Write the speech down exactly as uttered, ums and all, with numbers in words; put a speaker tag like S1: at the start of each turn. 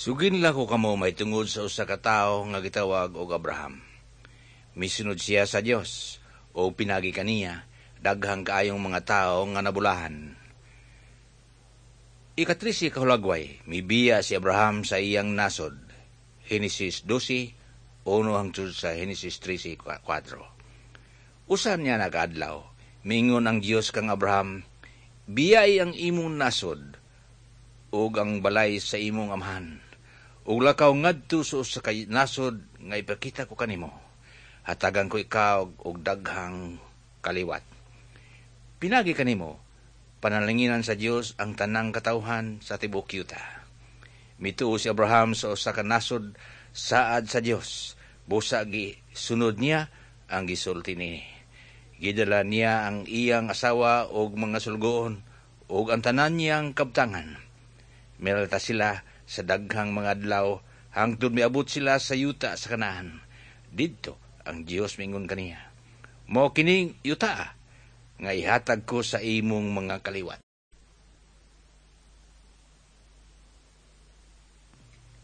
S1: Suginla ko kamo mahitungod sa usa ka tawo nga gitawag og Abraham. Misunod siya sa Dios o pinagi kaniya daghang kaayong mga tawo nga nabulahan. Ikatrese ka hulagway, mibiya si Abraham sa iyang nasod. Henesis dose, uno hangtod sa Henesis trese, kwatro. Usa niya nakaadlaw, mingon ang Dios kang Abraham, "Biyai ang imong nasod ug ang balay sa imong amahan ug lakaw ngadto sa usa ka nasod nga ipakita ko kanimo. Hatagan ko ikaw og daghang kaliwat. Pinagi kanimo, panalanginan sa Dios ang tanang katawhan sa tibuok yuta." Mituo si Abraham sa usa ka nasod saad sa Dios. Busa gi sunod niya ang gisulti ni. Gidala niya ang iyang asawa og mga sulgoon ug ang tanan niyang kabtangan. Miralta sila sa daghang mga adlaw hangtod miabot sila sa yuta sa Kanaan. Didto ang Dios mingon kaniya, "Mao kining yuta nga ihatag ko sa imong mga kaliwat."